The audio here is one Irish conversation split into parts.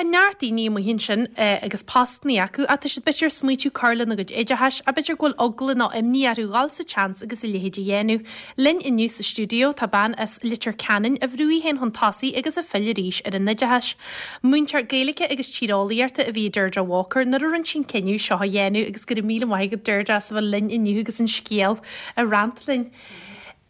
Tá neart daoine amuigh ansin agus postannaí acu ach tá siad b'fhéidir ag smaoitiú cur lena gcuid oideachais ach b'fhéidir go bhfuil eagla nó imní orthu dhul sa tseans agus a leithéid a dhéanamh. Linn inniu sa stiúideo tá bean as Leitir Ceanainn a bhrúigh í féin chun tosaigh agus a phill arís ar an oideachas. Múinteoir Gaeilge agus Tíreolaíochta a bhí i Deirdre Walker nuair a rinne sí an cinneadh seo a dhéanamh agus go raibh míle maith agat Deirdre as a bheith linn inniu agus an scéal a roinnt linn.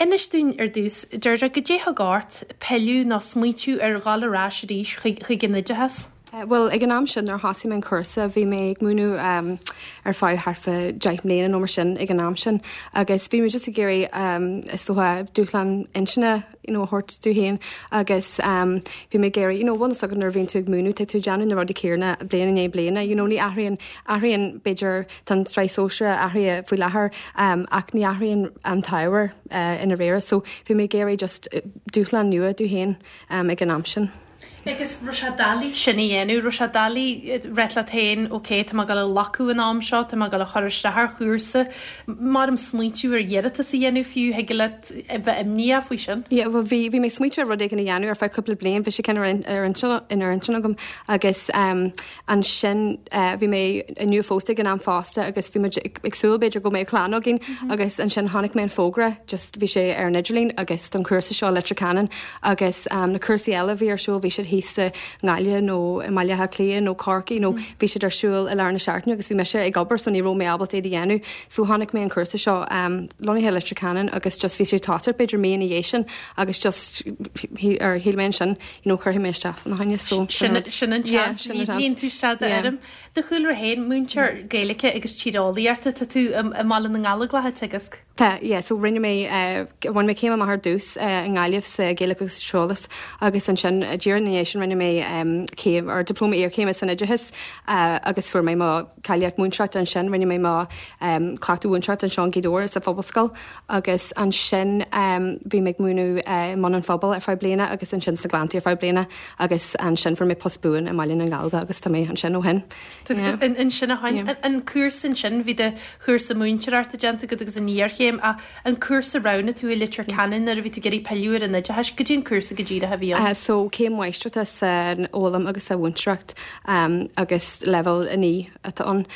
Inis dúinn ar dtús, Deirdre, goidé thug ort pilleadh nó smaoitiú ar dhul ar ais arís chuig an oideachas? Bhuel, ag an am sin nuair a thosaigh mé an cúrsa, bhí mé ag múineadh ar feadh thart fá 10 mbliana nó mar sin ag an am sin agus bhí mé just ag iarraidh is dócha dúshlán intinne you know a thabhairt domh féin agus bhí mé ag iarraidh you know bhfuil fhios agat nuair a bhíonn tú ag múineadh tá tú ag déanamh na rudaí céanna bliain i ndiaidh bliana you know ní athraíonn athraíonn b'fhéidir Tá an tsraith sóisearach athraithe faoi láthair ach ní athraíonn an t-ábhar i ndáiríre so bhí mé ag iarraidh just dúshlán nua domh féin ag an am sin. Agus raibh sé doiligh sin a dhéanamh, raibh sé doiligh ráit leat féin ok tá mé ag dul a ghlacadh an am seo, tá mé ag dul a chur isteach ar chúrsa, maram smaointiú ar iarratas a dhéanamh fiú, thig leat a bheith imníoch faoi sin? Yeah bhuel bhí bhí mé ag smaointiú ar rud éigin a dhéanamh ar feadh cúpla bliain, bhí sé kind of ar intinn ar intinn agam agus Ansin bhí mé nua-phósta ag an am fosta agus bhí muid ag súil b'fhéidir go mbeadh clann againn agus ansin chonaic mé an fógra just bhí sé ar an idirlíon agus don chúrsa seo i Leitir Ceanainn agus na cúrsaí eile a bhí ar siúl bhí siad thíos i nGaillimh nó i mBaile Átha Cliath nó Corcaigh nó bhí siad ar siúl i lár na seachtaine agus bhí mise ag obair so ní raibh mé ábalta iad a dhéanamh so chonaic mé an cúrsa seo lonnaithe i Leitir Ceanainn agus just bhí sé ag tosacht b'fhéidir mí ina dhiaidh sin agus just shíl mé ansin you know, cuirfidh mé isteach fána choinne so sin an Sin an seans, líon tú isteach d'fhoirm. Do chúlra féin, múinteoir Gaeilge agus Tíreolaíochta, tá tú i mBaile na nGallóglach ag teagasc? Tá, yeah, so rinne mé, bhain mé céim amach ar dtús i nGaillimh sa Ghaeilge agus sa Tíreolas agus ansin díreach ina dhiaidh sin rinne mé céim, or dioplóma iarchéime san oideachas agus fuair mé mo cháilíocht múinteoireachta ansin, rinne mé mo chleachtadh mhúinteoireachta anseo in Gaoth Dobhair sa Phobalscoil. Agus ansin bhí mé ag múineadh i mBun an Phobail ar feadh bliana agus ansin sna Gleanntaí ar feadh bliana agus ansin fuair mé post buan i mBaile na nGallóglach agus tá mé ansin ó shin. Ansin ó shin. An cúrsa ansin, bhí do chúrsa múinteoireachta déanta agat agus an iarchéim ach an cúrsa a roghnaigh tú i Leitir Ceanainn nuair a bhí tú ag iarraidh pilleadh ar an oideachas, goidé an cúrsa go díreach a bhí ann? So céim mháistreachta san fhoghlaim agus sa mhúinteoireacht agus leibhéal 9 atá ann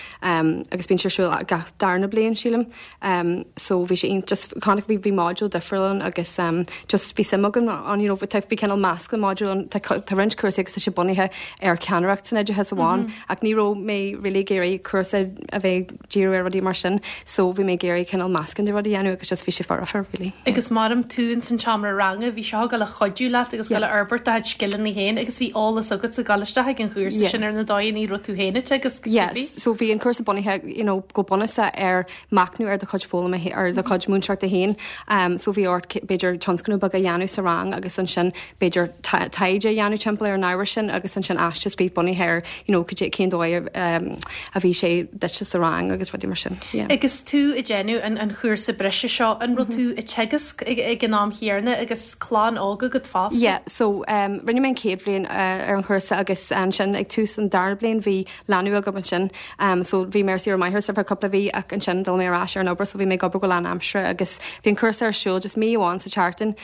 agus bíonn sé ar siúl gach darna bliain sílim. So bhí sé iontach just chonaic bhí bhí modúl difriúil ann agus just bhí suim agam ann you know tá bhí cineál meascán modúl ann tá tá roinnt cúrsaí agus tá sé bunaithe ar ceannaireacht san oideachas amháin ach ní raibh mé really ag iarraidh cúrsa a bheith ag díriú ar rudaí mar sin so bhí mé ag iarraidh cineál meascán de rudaí a dhéanamh agus just bhí sé foirfe really. Agus maram tú ins an tseomra ranga bhí seo ag dul a chuidiú leat agus ag dul a fhorbairt do chuid scileanna féin agus bhí eolas agatsa ag dul isteach ag an chúrsa sin ar na dóigheanna a raibh tú féin ag teagasc go cibé. Yes, so bhí an cúrsa bunaithe you know go bunúsach ar machnamh ar do chuid foghlama ar do chuid múinteoireachta féin. So bhí ort b'fhéidir tionscnamh beag a dhéanamh sa rang agus ansin b'fhéidir taighde a dhéanamh timpeall ar an ábhar sin agus ansin aiste a scríobh bunaithe ar you know cén dóigh a bhí sé duitse sa rang agus rudaí mar sin. Yeah. Agus tú ag déanamh an an chúrsa breise seo, an raibh tú ag teagasc ag an am chéanna agus clann óg agat fosta? Yeah, so rinne mé an chéad bhliain ar an chúrsa agus ansin ag tús an dara bliain bhí leanbh agam ansin. So bhí mé ar saoire máithreachais ar feadh cúpla mhí ach ansin d'fhill mé ar ais ar an obair so bhí mé ag obair go lánaimseartha agus bhí an cúrsa ar siúl just mí amháin sa tseachtain,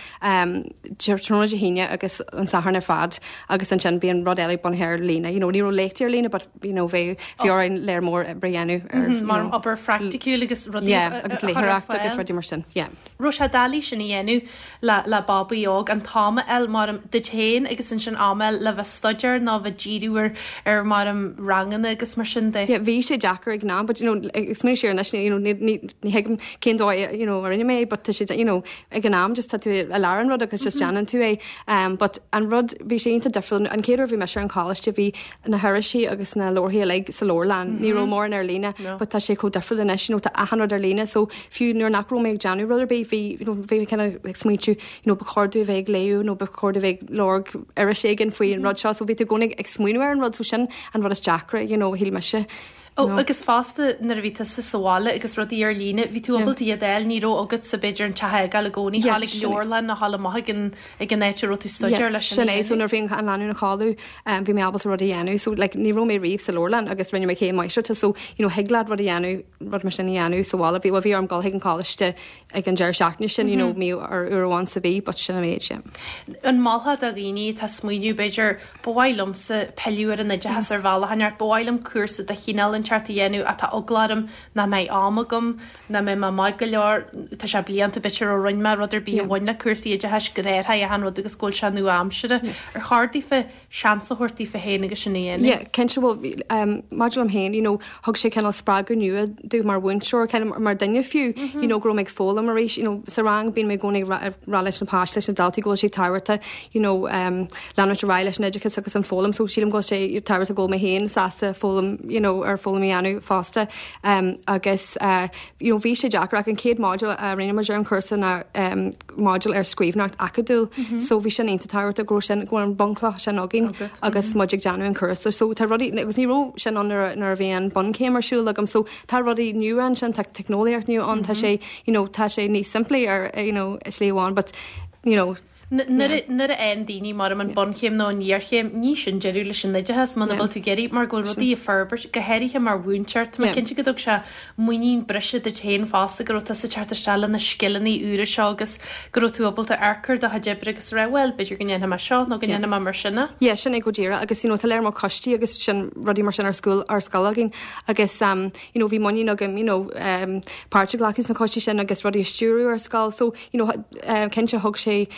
tráthnóna Dé hAoine agus an Satharn ar fad agus ansin bhí an rud eile bunaithe ar líne. You know, ní raibh léachtaí ar líne but you know, bhí bhí orainn léar mór oibre a dhéanamh ar, you know, obair phraiticiúil agus rudaí yeah, agus léitheoireacht agus rudaí mar sin, yeah. Raibh sé doiligh sin a dhéanamh le le babaí óg, an t-am a fháil maram duit féin agus ansin am a fháil le bheith staidéar nó bheith díriú ar ar maram ranganna agus mar sin de. Yeah, bhí sé deacair ag an am but you know ag smaoineamh siar anois you know ní ní ní thuigim cén dóigh you know a rinne mé é but tá sé you know ag an am just tá tú i lár an rud agus just déanann tú é um but an rud bhí sé iontach difriúil an chéad uair a bhí mise ar an choláiste bhí na hirisí agus na leabharthaí uilig sa leabharlann. Ní raibh mórán ar líne but tá sé chomh difriúil anois, you know, tá achan rud ar líne so fiú nuair nach raibh mé ag déanamh rud ar bith bhí, you know, bhí mé kind of ag smaointiú, you know, ba chóir domh a bheith ag léamh nó ba chóir domh a bheith ag lorg iris éigin faoi an rud seo so bhí tú i gcónaí ag smaoineamh ar an rud so sin an rud is deacra, you know, shíl mise. Ó, agus fosta nuair a bhí tusa sa bhaile agus rudaí ar líne, bhí tú ábalta iad a fháil, ní raibh agatsa b'fhéidir an teach a fhágáil i gcónaí, dhul ag leabharlann nó dhul amach ag an ag an áit a raibh tú ag staidéar leis sin a dhéanamh. Sin é, so nuair a bhí an lánúin ina chodladh, bhí mé ábalta rud a dhéanamh, so like ní raibh mé riamh sa leabharlann agus rinne mé céim máistreachta, so you know thig leat rud a dhéanamh, rud mar sin a dhéanamh sa bhaile. Bhí, bhuel bhí orm dul chuig an choláiste ag an deireadh seachtaine sin, you know, mí ar uair amháin sa mhí, but sin an méid, yeah. An molfá do dhaoine atá ag smaoineamh, b'fhéidir, ba mhaith liomsa pilleadh ar an oideachas ar bhealach inteacht, ba mhaith liom cúrsa de chineál inteacht a dhéanamh ach tá eagla orm nach mbeidh am agam, nach mbeidh mé maith go leor, tá sé blianta b'fhéidir ó rinne mé rud ar bith a bhain le cúrsaí oideachais, gur athraigh achan rud agus go bhfuil sé nua-aimseartha. Ar chóir daofa seans a thabhairt daofa féin agus sin a dhéanamh? Yeah, cinnte, bhuel, maidir liom féin, you know, thug sé cineál spreagadh nua domh mar mhúinteoir, kind of mar duine fiú, you know, go raibh mé ag foghlaim arís, you know, sa rang bíonn mé i gcónaí ag rá leis na páistí, leis na daltaí go bhfuil sé tábhachtach, you know, leanúint ar aghaidh leis an oideachas agus an foghlaim, so sílim go bhfuil sé tábhachtach go bhfuil mé féin sásta foghlaim, you know, ar foghlaim a dhéanamh fosta. Agus, you know, bhí sé deacair ach an chéad module a rinne muid ar an chúrsa ná module ar scríbhneoireacht acadúil, so bhí sin iontach tábhachtach go raibh sin, go raibh an bunchloch sin againn agus muid ag déanamh an chúrsa. So tá rudaí, agus ní raibh sin ann nuair a, nuair a bhí an bunchéim ar siúl agam, so tá rudaí nua ansin, tá teicneolaíocht nua ann, tá sé, you know, tá sé níos simplí ar, you know, slí amháin but, you know, Nuair a fhaigheann daoine mar an bunchéim nó an iarchéim, ní sin deireadh leis an oideachas muna bhfuil tú ag iarraidh mar go bhfuil rudaí ag forbairt, go háirithe mar mhúinteoir. Tá mé cinnte go dtug sé muinín breise duit féin fosta go raibh tusa ag teacht isteach le na scileanna úra seo agus go raibh tú ábalta amharc ar do chuid oibre agus rá bhuel, b'fhéidir go ndéanfaidh mé seo nó go ndéanfaidh mé mar sin é. Yeah, sin é go díreach agus you know tá lear mór coistí agus sin rudaí mar sin ar school ar scoil againn agus um, you know bhí muinín agam you know um, páirt a ghlacadh sna coistí sin agus rudaí a stiúradh ar scoil so you know, cinnte thug sé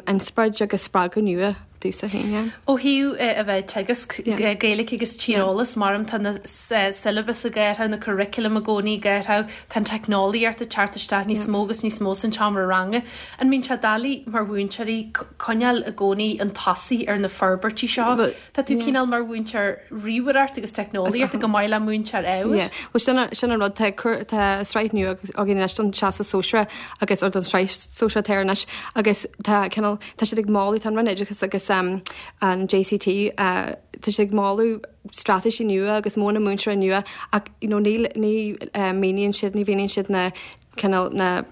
inspioráid agus spreagadh nua domhsa féin, yeah. Ó thaobh a bheith ag teagasc Gaeilge agus tíreolas, maram tá na syllabus ag athrú, na curriculum i gcónaí ag athrú, tá an teicneolaíocht ag teacht isteach níos mó agus níos mó san tseomra ranga. An mbíonn sé doiligh mar mhúinteoirí coinneáil i gcónaí chun tosaigh ar na forbairtí seo? Tá tú cineál mar mhúinteoir ríomhaireacht agus teicneolaíochta chomh maith le múinteoir ábhair. Yeah. Bhuel sin an, sin an rud, tá cur, tá sraith nua againn anois don Teastas Sóisearach agus, or don sraith sóisearach atá anois agus tá cineál, tá siad ag moladh, tá an Roinn Oideachais agus um, an JCT, uh, tá siad ag moladh straitéisí nua agus modhanna múinteora nua ach you know, ní, ní uh, míníonn siad, ní mhíníonn siad na cineál na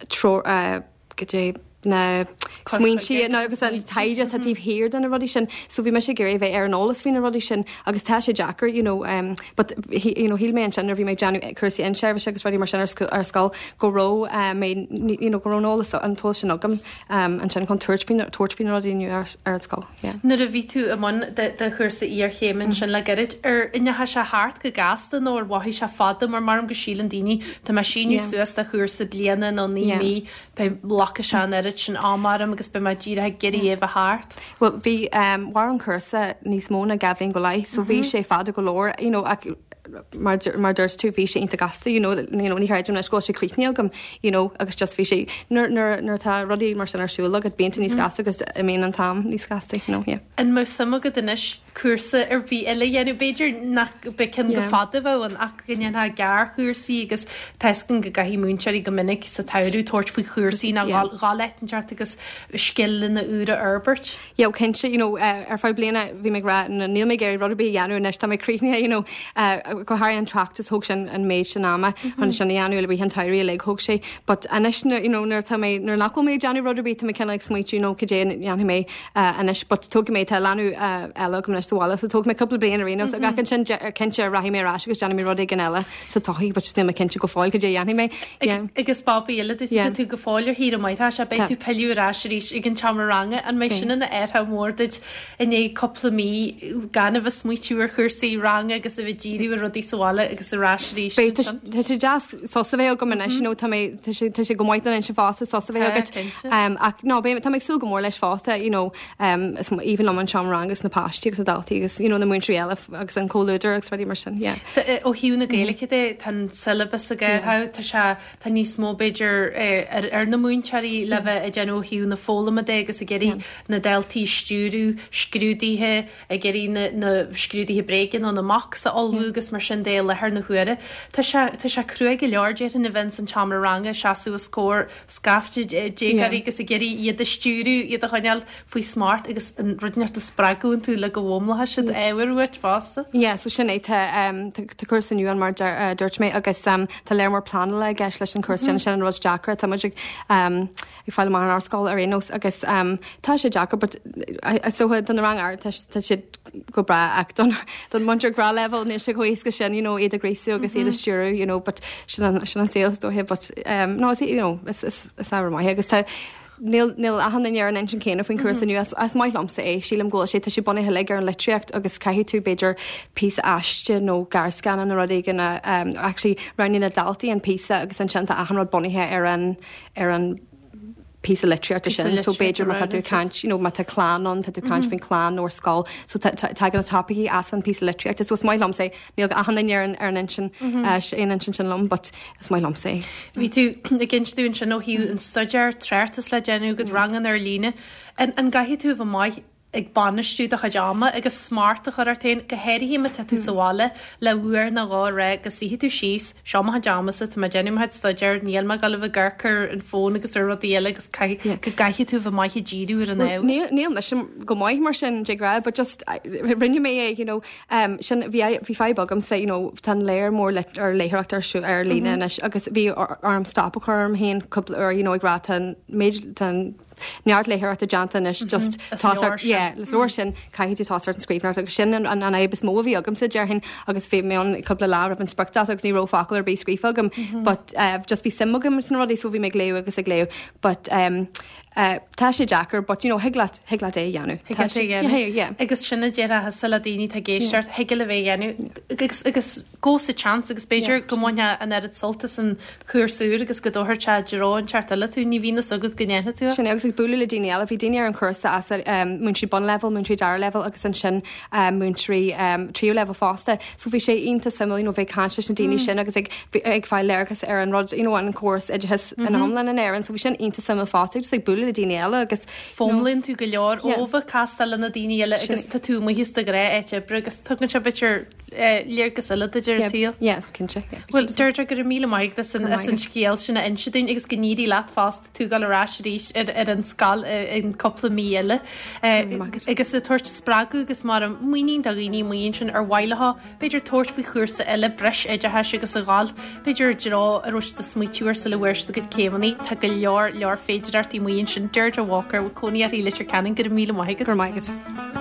treoir, uh, goidé na smaointe nó agus an taighde atá taobh thiar de na rudaí sin. So bhí mise ag iarraidh a bheith ar an eolas faoi na rudaí sin agus tá sé deacair, you know, um, but you know, shíl mé ansin nuair a bhí mé ag déanamh cúrsaí inseirbhíse agus rudaí mar sin ar, ar scoil go raibh uh, mé, you know, go raibh an eolas an t-eolas sin agam um, ansin chun tabhairt faoi tabhairt faoi na rudaí nua ar, ar an scoil. Yeah. Nuair a bhí tú i mbun do chúrsa iarchéime ansin le gairid, ar ndeachaigh sé thart go gasta nó ar mhothaigh sé fada mar maram go síleann daoine tá mé ag síniú suas do chúrsa bliana nó 9 mí beidh glacfaidh sé an oiread sin ama orm agus beidh mé díreach ag iarraidh é a bheith thart. Bhuel bhí mhair an cúrsa níos mó ná 2 bhliain go leith so bhí sé fada go leor you know ach mar mar dúirt tú bhí sé iontach gasta you know you know ní chreidim anois go bhfuil sé críochnaithe agam you know agus just bhí sé nuair nuair nuair atá rudaí mar sin ar siúl agat bíonn tú níos gasta agus imíonn an t-am níos gasta you know yeah. An mbeadh suim agat anois cúrsa ar bith eile a dhéanamh. B'fhéidir nach mbeadh ceann go fada a bheadh ann ach go ndéanfá gearrchúrsaí agus tá a fhios againn go gcaithfidh múinteoirí go minic sa tsamhradh tabhairt faoi chúrsaí nó dhul áit inteacht agus scileanna úra a fhorbairt. Yeah, cinnte, you know, ar feadh bliana bhí mé ag rá níl mé ag iarraidh rud ar bith a dhéanamh anois, tá mé críochnaithe, you know, go háirithe an tráchtas thóg sin an méid sin ama chun sin a dhéanamh i rith an tsamhraidh uilig thóg sé. But anois, you know, nuair atá mé, nuair nach bhfuil mé ag déanamh rud ar bith, tá mé cineál ag smaointiú, you know, cad é a dhéanfaidh mé anois but tógfaidh mé tá leanbh eile agam anois sa bhaile so tógfaidh mé cúpla bliain ar aon nós ach ansin cinnte rachaidh mé ar ais agus déanfaidh mé rud éigin eile sa todhchaí but just níl mé cinnte go fóill cad é a dhéanfaidh mé. Yeah. Agus babaí eile duit tá tú go fóill ar shaoire máithreachais beidh tú pilleadh ar ais arís ag an tseomra ranga an mbeidh sin ina athrú mór duit i ndiaidh cúpla mí gan a bheith smaoitiú ar chúrsaí ranga agus a bheith díriú ar rudaí sa bhaile agus ar ais arís Beidh tá tá sé deas sos a bheith agam anois you know tá mé tá sé tá sé go maith don intinn fosta sos a bheith agat. Um, ach no, beidh, tá mé ag súil go mór leis fosta, you know, um, is aoibhinn liom an seomra ranga agus na páistí agus na daltaí agus, you know, na múinteoirí eile agus an comhluadar agus rudaí mar sin, yeah. Tá, eh, ó thaobh na Gaeilge de, tá an syllabus ag athrú, tá sé, tá níos mó b'fhéidir eh, ar, ar na múinteoirí le bheith ag déanamh ó thaobh na foghlama de agus ag iarraidh na daltaí a stiúradh, scrúduithe, ag iarraidh na, na scrúduithe bréige nó na mocks a ullmhú agus mar sin de i láthair na huaire. Tá sé, tá sé cruaidh go leor déarfainn a bheith ins an tseomra ranga ag seasamh os comhair scaifte déagóirí agus ag iarraidh iad a stiúradh, iad a choinneáil faoi smacht agus an rud inteacht a spreagadh iontu le go bhfómar. bhfoghlaimeoidh siad ábhar uait fosta. Yeah, so sin é, tá tá cúrsa nua ann mar a dúirt mé agus tá léar mór pleanála i gceist leis an chúrsa sin, sin an rud deacair atá muid ag ag fáil amach in ár scoil ar aon nós agus tá sé deacair but is dócha don rang ard tá tá siad go breá ach don don múinteoir gnáthleibhéal níl sé chomh éasca sin you know iad a ghríosú agus iad a stiúradh you know but sin an sin an saol is dóiche but no is you know is is is ábhar maith agus tá Níl níl achan duine ar an intinn céanna faoin chúrsa nua. Is maith liomsa é. Sílim go bhfuil sé tá sé bunaithe uilig ar an litríocht agus caithfidh tú b'fhéidir píosa aiste nó gearrscannán nó rud éigin a actually roghnaíonn na daltaí an píosa agus ansin tá achan rud bunaithe ar an ar an píosa litríochta sin. So b'fhéidir má tá tú ag caint, you know, má tá clann ann, tá tú ag caint faoin chlann nó ar scoil. So tagann na topaicí as an píosa litríochta. So is maith liomsa é. Níl achan duine ar an ar an intinn aon intinn sin liom, but is maith liomsa é. Bhí tú ag inse dúinn ansin ó thaobh an staidéar, tráchtas le déanamh agat, ranganna ar líne. An an gcaithfidh tú a bheith maith ag bainistiú do chuid ama agus smacht a chur ort féin, go háirithe má tá tú sa bhaile le uair nó dhó a rá go suífidh tú síos, seo mo chuid amasa, tá mé ag déanamh mo chuid staidéir, níl mé ag dul a bheith ag amharc ar an bhfón agus ar rudaí eile agus caithfidh, go gcaithfidh tú a bheith maith ag díriú ar an ábhar. Níl, níl mise go maith mar sin, de ghnáth, but just rinne mé é, you know, Sin, bhí, bhí fadhb agamsa, you know, tá an léar mór lit, ar léitheoireacht ar siúl, ar líne anois agus bhí orm stop a chur orm féin cúpla uair, you know, ag rá tá an méid, tá an neart léitheoireachta déanta anois, just Is leor sin. Yeah, is leor sin, caithfidh tú tosacht ar an scríbhneoireacht agus sin an, an, an fhadhb is mó a bhí agamsa, déarfainn, agus bhí mé ann cúpla lá roimh an spriocdháta agus ní raibh focal ar bith scríofa agam, but uh, just bhí suim agam sna rudaí so bhí mé ag léamh agus ag léamh, but um, Tá sé deacair but you know thig leat, thig leat é a dhéanamh. Thig leat é a dhéanamh. Yeah, yeah. Agus sin a déarfá thusa le daoine atá ag éisteacht, thig libh é a dhéanamh agus, agus gabh sa tseans agus b'fhéidir go mbainfeá an oiread sult as an chúrsa úr agus go dtabharfadh sé i dtreo inteacht eile tú, ní bhíonn fhios agat go ndéanfaidh tú é. Sin é agus ag bualadh le daoine eile, bhí daoine ar an chúrsa as múinteoirí bunleibhéil, múinteoirí dara leibhéal agus ansin múinteoirí tríú leibhéal fosta. So bhí sé iontach suimiúil you know bheith ag caint leis na daoine sin agus ag ag fáil léargas ar an rud you know an córas oideachais ina iomlán in Éirinn. So bhí sin iontach suimiúil fosta just ag bualadh le daoine eile agus Foghlaimíonn tú go leor ó bheith ag castáil le na daoine eile agus tá tú amuigh as do ghnáth áit oibre agus tugann sé b'fhéidir léargas eile duit ar an tsaol. Yes, cinnte. Bhuel, Deirdre, go raibh míle maith agat as an scéal sin a inse dúinn agus go n-éirí leat fosta. tú ag dul ar ais arís ar an scoil in cúpla mí eile agus ag tabhairt spreagadh agus mar muinín do dhaoine amuigh ansin ar mhaith leo b'fhéidir tabhairt faoi chúrsa eile breis oideachais agus a dhul b'fhéidir i dtreo a raibh siad ag smaoitiú air sula bhfuair siad a gcuid céimeanna. Tá go leor leor féidearthachtaí amuigh ansin. Deirdre Walker, cónaí uirthi i Leitir Ceanainn, go raibh míle maith agat. Go raibh maith agat.